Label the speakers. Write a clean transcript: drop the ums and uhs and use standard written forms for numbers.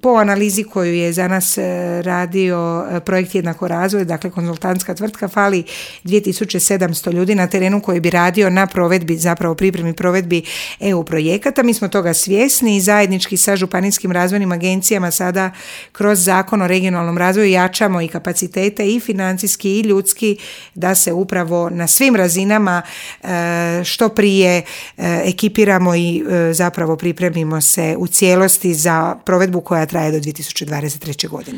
Speaker 1: Po analizi koju je za nas radio projekt Jednako razvoj, dakle konzultantska tvrtka, fali 2700 ljudi na terenu koji bi radio na provedbi, zapravo pripremi provedbi EU projekata. Mi smo toga svjesni i zajednički sa županijskim razvojnim agencijama sada kroz Zakon o regionalnom razvoju jačamo i kapacitete i financijski i ljudski da se upravo na svim razinama što prije ekipiramo i zapravo pripremimo se u cijelosti za provedbu koja traje do 2023. godine.